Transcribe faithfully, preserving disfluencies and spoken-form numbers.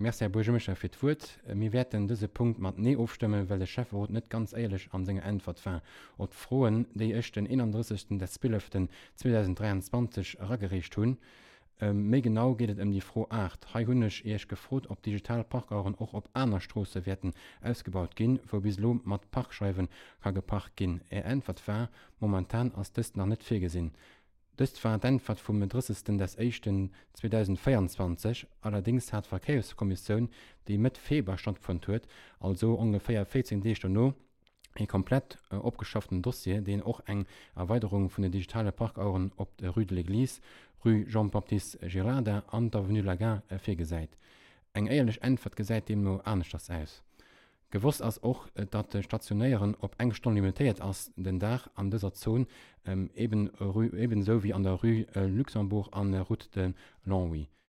Merci, Här Buergermeeschter, fir d'Wuert. Mir wäerten dëse Punkt mat Nee ofstëmmen, well de Schäfferot net ganz éierlech an senger Äntwert war op d'Froen, déi ech den eenandrëssegsten des zwieleften zweedausenddräianzwanzeg eragereecht hunn. Méi genau geet et ëm déi Fro aacht. Hei hunn ech Iech gefrot, ob digital Parkaueren och op aner Stroosse wäerten ausgebaut ginn, wou bis elo mat Parkscheiwe ka geparkt ginn. Är Äntwert war, Momentan ass dëst nach net virgesinn. Dëst war d'Äntwert vum drëssegsten des éischten zweedausendvéieranzwanzeg. Allerdéngs hat d'Verkéierskommissioun, déi Mëtt Februar stattfonnt huet, also ongeféier véierzéng Deeg dono, ee komplett opgeschafften Dossier, deen och eng Erweiderung vun den digitale Parkaueren op der Rue de l'Église, Rue Jean-Baptiste Girarda an d'Avenue de la Gare virgesäit. Eng éierlech Äntwert gesäit deemno aneschters aus. Gewosst ass och, datt de Stationéieren op eng Stonn limitéiert ass den Dag an dëser Zon, eben esou wéi an der Rue Luxembourg an Route de Longwy.